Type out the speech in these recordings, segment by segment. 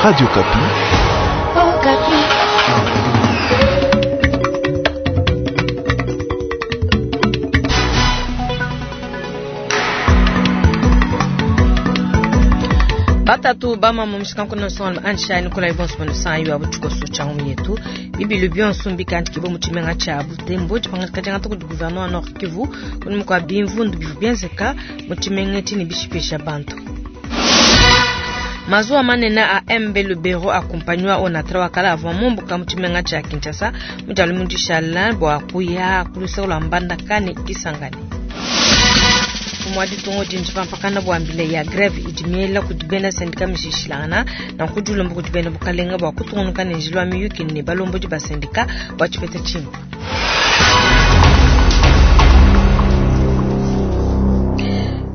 Radio Okapi. Okapi. Batatu bamama mushikanku nsonga anshani kola ibonso bano sanyu abo tshikoso tsha ngumu yetu bibilu bionso mbikandikibwe mu tshimenga tsha Butembo tshipangadika tshiangata kudi gouverneur wa Nord Kivu kunyima kua bimvundu bivua bienzeka mu tshimenga etshi ne bishipesha bantu. Mazuwa manene a MB Lubero akumpanywa Onatra wa kala avua mumbuka mu tshimenga tsha Kinshasa mu dia lumingu dishala bua kuya ku luseke lua Mbandaka ne Kisangani. Mfumu wa ditunga udi ntshipampakana bua mbila ya greve idi miela kudi bena sendika mishilashilangana nanku udi ulomba kudi bena bukalenga bua kutungunuka ne njila wa miyuki ne balombodi ba sendika bua tshipeta tshimpe.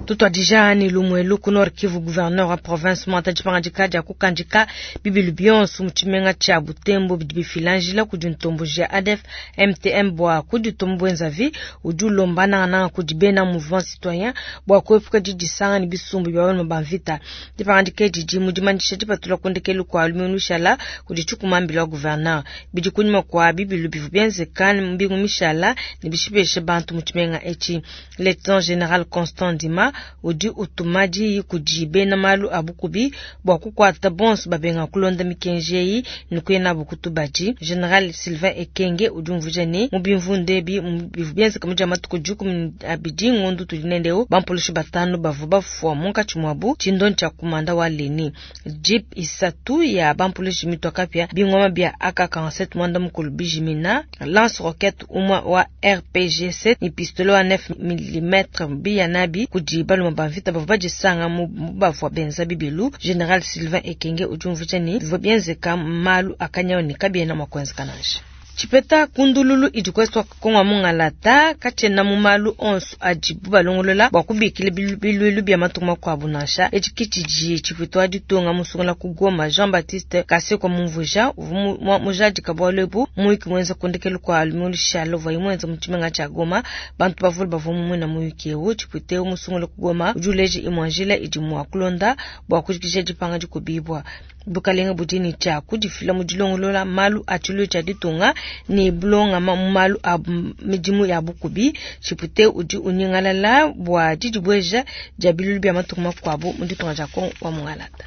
Tutuadija ne lumu elu ku Nord Kivu, gouverneur wa province muangata dipangadika dia kukandika bibilu bionso mu tshimenga tshia Butembo bidi bifila njila kudi ntomboji ya ADF MTM bua kuditumba buenzavi. Udi ulomba nangananga kudi bena mouvement citoyen bua kuepuka didisanga ne bisumbu bia balume ba mvita. Dipangadika edi didi mu dimanyisha dipatula ku ndekelu kua lumingu lushala kudi tshikumambila wa gouverneur. Bidi kunyima kua bibilu bivua bienzeka mbingu mishala ne bishipeshe bantu mu tshimenga etshi. Lieutenant General Constant Ndima udi utuma diyi kudi bena malu a bukubi bua kukuata bonso babenga kulonda mikenji eyi ne kuya nabu ku tubadi. General Sylvain Ekenge udi umvuija ne, mu bimvundu ebi bivua bienzeka mu dia matuku 12 ngondo tudi nende eu, bampulushi batanu bavua bafua munkatshi muabu tshindonyi tshia kumanda wa Leni. Jeep isatu ya bampulushi mitua kapia, bingoma bia AK-47 muanda mukulu bijimina, lance roquette umue wa RPG-7 ne pistolet wa 9 mm biya nabi kudi balume ba mvita bavua badisanga mu bavua benza bibilu. General Sylvain Ekenge udi umvuija ne, bivua bienzeka malu a kanyawu ne kabiena mua kuenzeka nansha. Tshipeta ku ndululu idi ku Est wa Kongo wa mungalata katshiena mu malu onso adibu balongolola bua kubikila biluilu bia matunga makuabu nansha. Etshi ke tshidi tshipuita wa ditunga musungula ku Goma Jean-Baptiste Kasekwa mumvuija. Uvua mujadika bualu ebu muyuki muenza ku ndekelu kua lumingu lushala uvuaye muenza mu tshimenga tshia Goma. Bantu bavule bavua mumuena muyuki eu. Tshipuita eu musungula ku Goma udi uleja imue njila idi mua kulonda bua kujikija dipanga dikubibua. Bukalenga budi ne tshia kudifila mu dilongolola malu a tshiluilu tshia ditunga ne bulongama mu malu a midimu ya bukubi. Tshipute udi unyingalala bua didibueja dia biluilu bia matunga makuabu mu ditunga dia Kongo wa mungalata.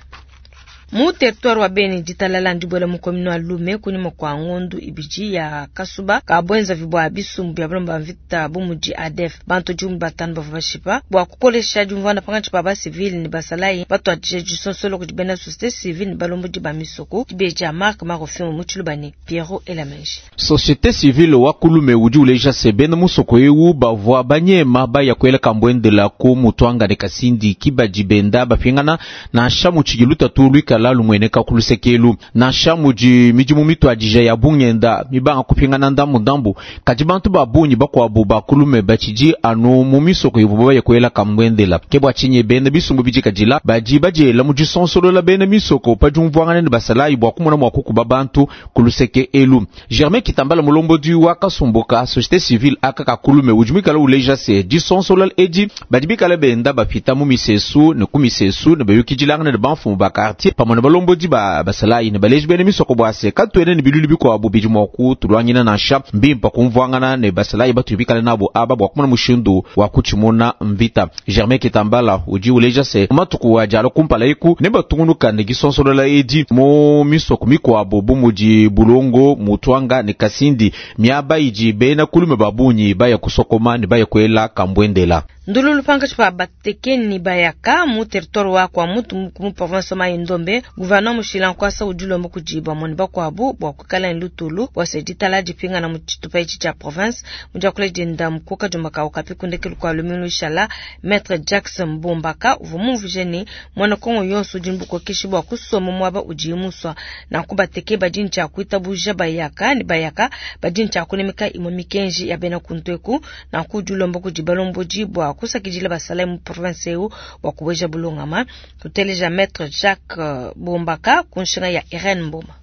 Mu territoire wa Beni, ditalala ndibuela mu commune wa Lume kunyima kua ngondu ibidi ya kasuba ka buenzavi bua bisumbu bia balume ba mvita bu mudi ADF. Bantu 15 bavua bashipa bua kukolesha diumvuana pankatshi pa basivile ne basalayi batuadije disonsolo kudi bena société civile ne balombodi ba misoko. Dibeji dia Marc Marofimu mu Tshiluba ne Pierrot Elamenji. Société civile wa Kulume udi uleja se bena musoko eu bavua banyema baya kuela kambuendela ku mutuanga ne kasindi kibadi benda bapingana nansha mu tshidi lutatu luikala lumueneka ku lusekelu nansha mudi midimu mituadija ya bungenda mibanga kupingana ndambu ndambu kadi bantu ba bungi bakuabu ba Kulume batshidi anu mu misoko ivuabu baya kuela kambuendela. Ke bua tshinyi bena bisumbu bidikadila badi badiela mu disonsolola bena misoko pa diumvuangana ne basalayi bua kumona mua kukuba bantu ku luseke elu. Germain Kitambala mulombodi wa kasumbu ka société civile aka ka Kulume udi muikala uleja se disonsolola edi badi bikala benda bapita mu misesu ne ku misesu ne bayukidilangana ne bamfumu ba quartier pamue ne balombodi ba basalayi ne baleji bena misoko bua se katuena ne biluilu bikuabu bidi mua kutuluangina nansha. Mbimpe kumvuangana ne basalayi batudi bikale nabo aba bua kumona mushindu wa kutshimuna mvita. Germain Kitambala udi uleja se matuku adi alua kumpala eku ne batungunuka ne disonsolola edi mu misoko mikuabu bu mudi Bulongo, Mutuanga ne Kasindi, miaba idi bena Kulume ba bungi baya kusokoma ne baya kuela kambuendela. Ndululu pankatshi pa batekeni bayaka mu territoire wa Kwamouth mu province wa Mai-Ndombe, gouverneur mushila nkuasa udi ulomba kudi bamue ne bakuabu bua kuikala ne lutulu bua se ditala dipingana mu tshitupa etshi tshia province. Mu diakula dienda mu kadiomba ka Okapi ku ndekelu kua lumingu lushala, Maître Jackson Mbombaka uvua mumvuije ne muena Kongo yonso udi ne bukokeshi bua kusomba muaba udiye musua. Nanku bateke badi ne tshia kuitabuja bayaka ne bayaka badi ne tshia kunemeka imue mikenji ya bena kuntu eku. Nanku udi ulomba kudi balombodi bua kusakidila basalayi mu province eu bua kubueja bulongama. Tuteleja Maître Jacques Bombaka ku nshinga ya Irene Mboma.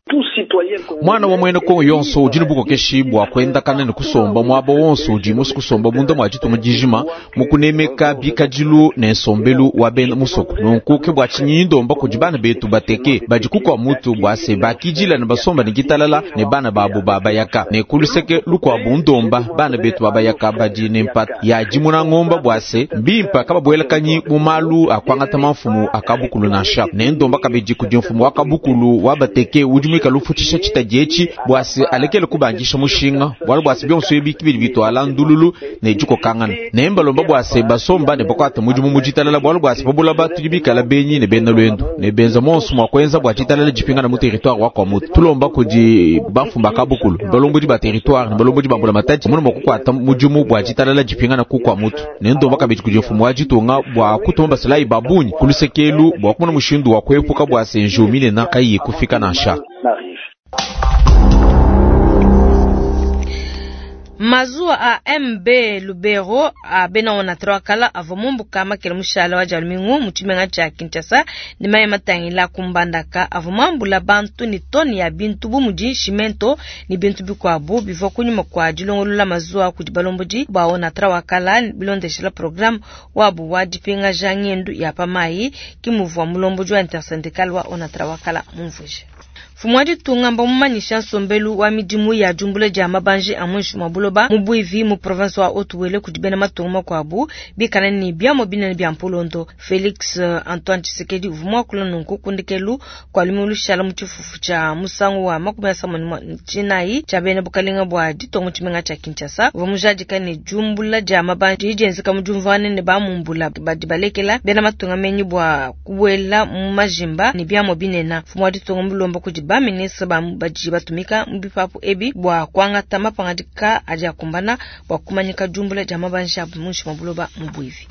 Mwana wa mwene Kongo yonso udi ne bukokeshi bua kuendakana ne kusomba muaba wonso udi musu kusomba munda mua ditunga dijima mu kunemeka bikadilu ne nsombelu wa bena musoko. Nunku ke bua tshinyi ndomba kudi bana betu bateke badi kukua mutu bua se bakidila ne basomba ne ditalala ne bana babu ba bayaka ne kuluseke lukuabu ndomba bana betu ba bayaka badi ne mpata ya dimuna ngomba bua se mbimpa kababuelakanyi mu malu a kuangata mamfumu a kabukulu nansha ne ndomba kabidi kudi mfumu wa kabukulu wa bateke udi muikale ufutshisha tshitadi etshi bua se alekele kubandisha mushinga bualu bua se bionso ebi kibidi bitwala ndululu ne dikokangana ne mbalomba bua se basomba ne bakuata mudimu mu ditalala bualu bua se pabulaba tudi bikala benyi ne bena lwendo ne benza monso mua kuenza bua ditalala dipingana mu territoire wa Kwamouth. Tulomba kudi bamfumu ba kabukulu balombodi ba territoire ne balombodi ba mbula matadi muna mua kukuata mudimu bua ditalala dipingana ku Kwamouth ne ndomba kabidi kudi mfumu wa ditunga bua kutuma basalayi ba bungi ku lusekelu bua kumona mushindu wa kuepuka bua se njiwu minene kayiyi kufika nansha. Mazuwa a MB Lubero a bena Onatra kala avua mumbuka makele mushala wa dia lumingu mu tshimenga tshia Kinshasa ne mayi matangila ku Mbandaka avua mambula bantu ne toni ya bintu bu mudi cimento ne bintu bikuabu bivua kunyima kua dilongolola mazuwa kudi balombodi ba Onatra wa kala bilondeshela programme wabu wa dipingaja ngendu ya pa mayi ke muvua mulombodi wa intersyndical wa Onatra wa kala mumvuije. Mfumu wa ditunga mbamumanyisha nsombelu wa midimu ya diumbula dia mabanji a muinshi mua buloba mu Buivi mu province wa Haut-Uele kudi bena matunga makuabu bikala ne biamua binene bia mpulondo. Felix Antoine Tshisekedi uvua muakula nunku ku ndekelu kua lumingu lushala mu tshifufu tshia musangu wa 39 tshia bena bukalenga bua ditunga mu tshimenga tshia Kinshasa. Uvua mujadika ne diumbula dia mabanji dienzeka mu diumvuangana ne bamumbula badi balekela bena matunga menyi bua kubuela mu majimba ne biamua binene. Mfumu wa ditunga mulomba kudi ba ministre badi batumika mu bipapu ebi bua kuangata mapangadika adi akumbana bua kumanyika diumbula dia mabanji abu muinshi mua buloba mu Buivi.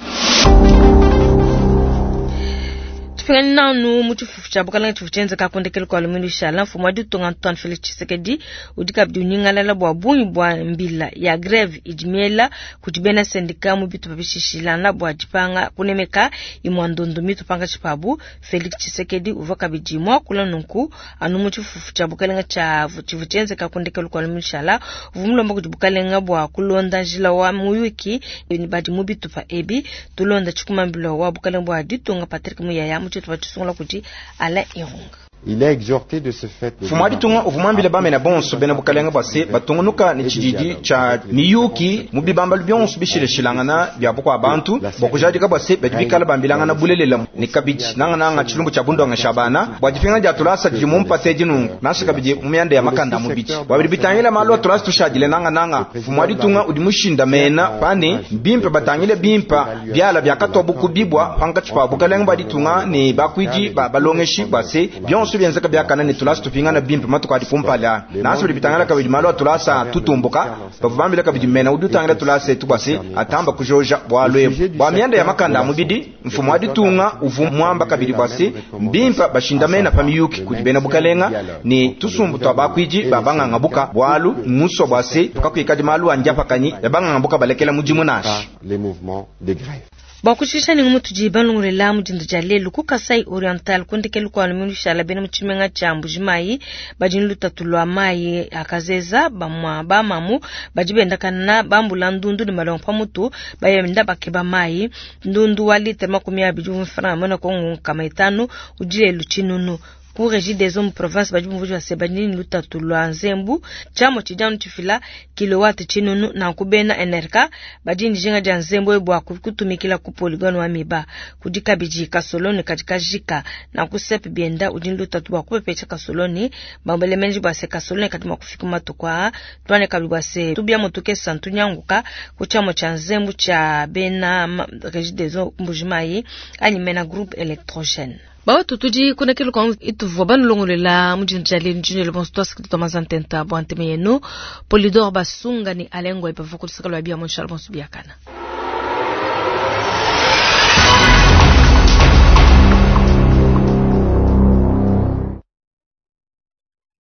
Tupingane nanu mu tshifufu tshia bukalenga tshivu tshienzeka ku ndekelu kua lumingu lushala. Mfumu wa ditunga Antoine Felix Tshisekedi udi kabidi unyingalala bua bungi bua mbila ya greve idi miela kudi bena sendika mu bitupa bishishilana bua dipanga kunemeka imua ndondo mitu pankatshi pabu. Felix Tshisekedi uvua kabidi muakula nunku anu mu tshifufu tshia bukalenga tshia tshivu tshienzeka ku ndekelu kua lumingu lushala. Uvua mulomba kudi bukalenga bua kulonda njila wa muyuki ne badi mu bitupa ebi. Tulonda tshikumambilo wa bukalenga bua ditunga Patrick Muyaya mu tshitupa tshisungula kudi Alain Irunga. Il a exhorté de ce fait Mfumu wa ditunga uvua muambile bamena bonso bena bukalenga bua se batungunuka ne tshididi tshia miyuki mu bibambalu bionso bishilashilangana bia bukua bantu bua kujadika bua se badi bikala bambilangana bulelela ne kabidi nangananga tshilumbu tshia bundongesha bana bua dipinga dia tulasa didi mu mpata nunku nansha kabidi mu mianda ya makanda a mubidi bua bidi bitangila malu a tulasa tushadile nangananga. Mfumu wa ditunga udi mushindamena pane bimpe batangile bimpa biala biakatwa bukubibwa pankatshi pa bukalenga bua ditunga ne bakuidi ba balongeshi bua se bionso bienzeka biakana ne tulasa tupingana bimpe matuku adi kumpala. Nansha bidi bitangila kabidi malu a tulasa tutumbuka bavua bambila kabidi mena udi utangila tulasa etu bua se atamba kujoja bualu ebu bua mianda ya makanda a mubidi. Mfumu wa ditunga uvua muamba kabidi bua se mbimpe bashindamena pa miyuki kudi bena bukalenga ne tusumbu tua bakuidi ba bangangabuka bualu musua bua se tukakuikadi malu a ndiapakanyi ya bangangabuka balekela mudimu nansha. Les mouvements de grève. Bua kushisha ne ngumu tudi balongolela mu dinda dia lelu ku Kasai Oriental ku ndekelu kua lumingu lushala bena mu tshimenga tshia Mbuji-Mayi badi ne lutatu lua mayi a kazeza. Bamua bamamu badi bendakana bambula ndundu ne malongo pa mutu bayenda bakeba mayi. Ndundu wa litre 20 uvua mfranga mwena Kongo 500 udi lelu tshinunu. Ku Regideso mu province badi bumvuija se badi ne lutatu lua nzembu tshiamua tshidi anu tshifila kilowatt tshinunu. Nanku bena NRK badi ne dijinga dia nzembu ebu bua kutumikila ku polygone wa miba. Kudi kabidi kasoloni kadi kajika. Nanku sep bienda udi ne lutatu bua kupepesha kasoloni. Bambele menji bua se kasoloni kadi mua kufika matuku aa. Tuane kabidi bua se tubia motoke santu nyanguka ku tshiamua tshia nzembu tshia bena Regideso Mbuji-Mayi anyi mena groupe électrogène. Bawatu tudi kunekelu kwa ituvua banulongolela mu dinda dia lelu ndinelo bonso twasiki twamazantenta bua nteme yenu Polidor Basunga ni Alengwa ipavua kulusaka lua bia mu nshala bonso biakana.